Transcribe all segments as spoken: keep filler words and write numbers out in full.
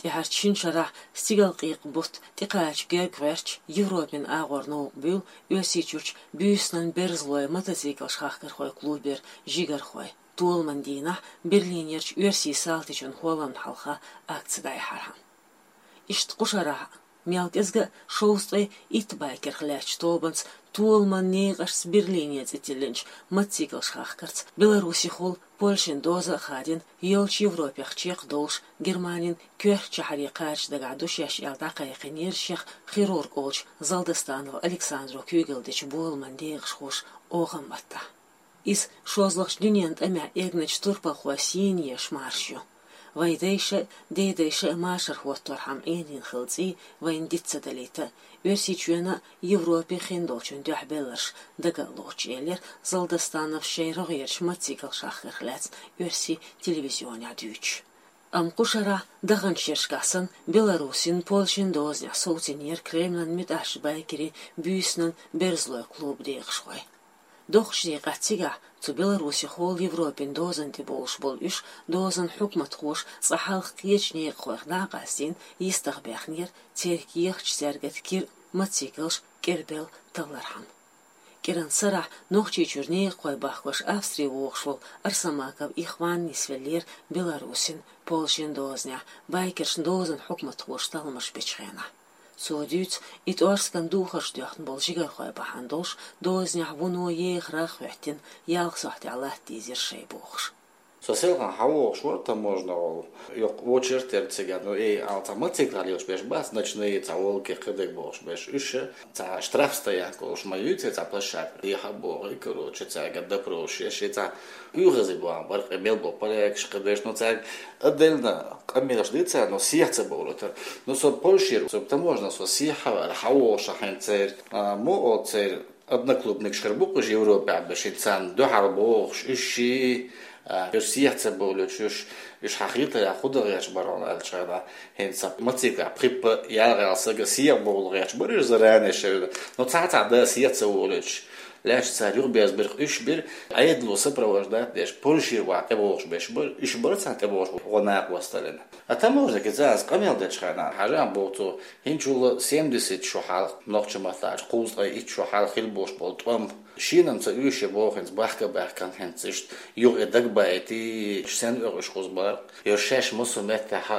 ТӀехьарчу шина шарахь стигалкъекъа бутт тӀекхача герга гӀерташ, Европин агӀор новкъа буьйлу Оьрсийчуьрчу «Буьйсанан берзалой» мотоциклаш хахкархойн клубера жигархой, толаман дийнахь Берлинерчу оьрсийн салтичун хӀолламна хьалха акци дӀаяхьархьама. Иштта кху шарахь а, мел кӀезга а шовзткъе итт байкерх лаьттачу тобанца, «Толаман некъашца Берлине» цӀе тиллинчу мотоциклаш хахкарца Беларусехула Польшин доза а хадийна, йолчу Европех чекхдолуш, Германин коьртачу шахьаре кхача дагахь ду шаьш аьлла дӀакхайкхинера шех хирург олучу Залдостанов Александро куьйгалла дечу боламан декъашхоша охан маттахь. Иза шозлагӀчу дуьненан тӀамехь эгначу турпалхойн сийна еш марша ю. Вайн дайша а, дедайша а машар хӀотторхьама Ӏенийна хилла цӀий вайна диц ца далийта, Оьрсийчоьнан а, Европин а хиндолчун дуьхьа белларш дага а лоцуш, элира Залдостановс шайн рогӀерчу мотоциклаш хахкарх лаьцна оьрсийн телевизионехь дуьйцуш. Амма кху шарахь даханчу шерашкахь санна Беларусин, Польшин дозанехь совцийнера Кремлан муьтӀахьчу байкерийн «Буьйсанан берзалой» клубан декъашхой. Доккхачу декъехь цигахь цу Беларусехула Европин дозанна тӀебовлуш болу уьш дозанан хьукматхоша цкъа хьалха кхечу некъахойх дӀа а къастийна, йистах баьхнера церан кехаташ, цаьргара кира а, мотоциклаш кӀербелла таллархьама. КӀиран сарахь Нохчийчуьра некъахой бахкош Австри вогӀуш волу Арсамаков Ихван нисвеллера Беларусин, Польшин дозанехь, байкершна дозанан хьукматхоша талламаш бечу хенахь. Цо дуьйцу, и тӀоьрсиган духарш доьхна болу жигархой бахьана долуш, дозанехь вуно ехарх а хӀоьттина, ялх сохьтехь латта дийзира шайн бохуш. Со селхана хьан вогӀуш вара таможна волу, йоккха очередь яра цигахь, ну, эй, ала цхьа мотоциклаш лелаш берш бац, ночные, цхьа волки, кхидерг бохуш берш. Уьш цхьа штрафстоянка олуш ма юьйцу цхьа площадка, еха боху, и, короче, цаьрга допросаш еш, и цхьа уьйхаза боху бара, къамел бо полякаш, кхидерш, ну, цаьрга отдельно къамелаш дийцара, но сехьа ца бовлуьйтура. Ну, со Польшера, со таможна, со сехьа вара, хьан вогӀуш хьайн церан, а, мо олу церан одноклубникаш хир бу-кх уьш Европехь берш, царна дуьхьал богӀуш, уьш ши, а, уьш сехьа ца бовлуьйтуш, уьш, уьш хьан хетарехь хӀун дан гӀерташ бара аьлча, хӀинца мотоциклехь пхи-пхи ялхалгӀа сага сехьа бовла гӀерташ бара уьш заранее шевда. Но цхьа-цхьа дан сехьа ца волуьйтуш, лаьтташ цара юхаберзабира-кх уьш, бира Ӏедало сопровождать деш, Польшера охьа тӀебогӀуш берш бара, уьш бара царна тӀебогӀуш бу гӀо накъосталлина. А таможник иза аса къамел дечу хенахь, хьажахьа боху цо, хӀинцачул семьдесят шу хьалха, нохчийн маттахь аьлча, кхузткъе итт шу хьалха хилла болуш болу тӀом. Шена-м ца оьшуш боху хӀинца бахка-бахкана хӀинца иштта юха и дагабаийтий, сенна оьхуш кхуза бара. Йо, шаьш массо а меттехь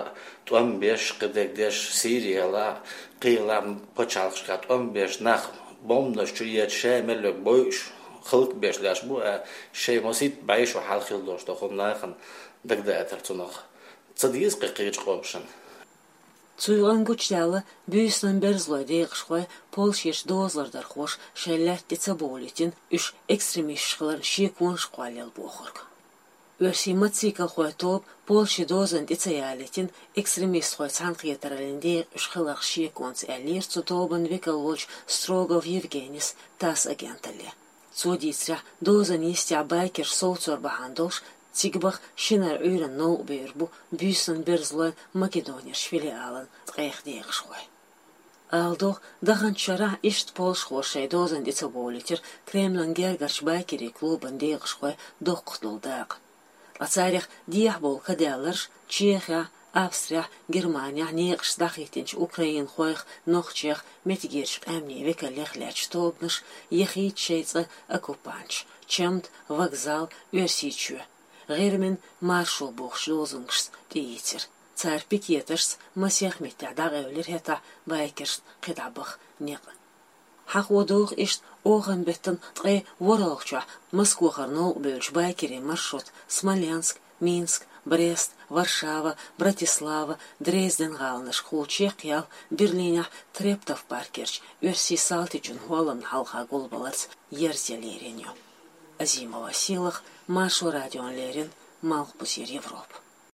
тӀом беш, кхидерг деш, Сирияла, кхийла пачхьалкхашкахь тӀом беш, нах бомбанаш чу ечу, шаьш мел йолу бойуш, хӀаллакбеш лаьтташ бу, а шайн масийтта бӀе шу хьалха хилла долуш долу хӀума нахана дагадаийтар цунах. Ца деза кхин кхечу къомашна. Цу юкъанна гучудаьлла буьйсанан берзалойн декъашхой Польшерчу дозалардархоша шайн лаьтта тӀе ца бовлийтина уьш экстремисташ хиларна шеконаш а кхоллаелла бохург. Оьрсийн мотоциклхойн тоба Польшин дозанна тӀе ца ялийтина экстремистхойн цхьаьнакхетараллин декъа уьш хиларх шеконца, аьллера цу тобанан векал волчу Строгов Евгенис ТАСС агенталле. Цо дийцарехь, дозанна йистехь байкерш совцор бахьана долуш, цига баха шинара Ӏуьйранна новкъа бевр бу буьйсанан берзалойн Македонерчу филиалан ткъех декъашхой. Ала догӀу, даханчу шарахь иштта польшахоша шайн дозанна тӀе ца бовлийтира Кремлан гергарчу байкерийн клубан декъашхойн доккхах долу дакъа. Ткъа царах дехьа болу кадаьлларш Чехехь, Австрехь, Германехь некъаш дӀахӀиттинчу украинхойх, нохчех, меттигерчу къаьмнийн векалех лаьтташ тобанаш яхийта шайн цӀа оккупанташ, чамда, вокзал, Оьрсийчоь, ГӀирмина маршо бохучу лозунгашца тӀеийцира. Цара пикеташца масех меттехь дӀакъевлира хӀетахь байкершна кхидӀа баха некъ. Хьахо догӀу иштта оханан беттан ткъе ворхӀалгӀачохь Москохара новкъа бевллачу байкерийн маршрут Смоленск, Минск, Брест, Варшава, Братислава, Дрезден гӀаланашкахула чекхъяьлла Берлинехь Трептов паркерчу оьрсийн салтичун хӀолламна хьалха гулбаларца ерзаелла лерина ю. Азимова Сийлаха, Маршо радиона леррина, Малхбузера Европа.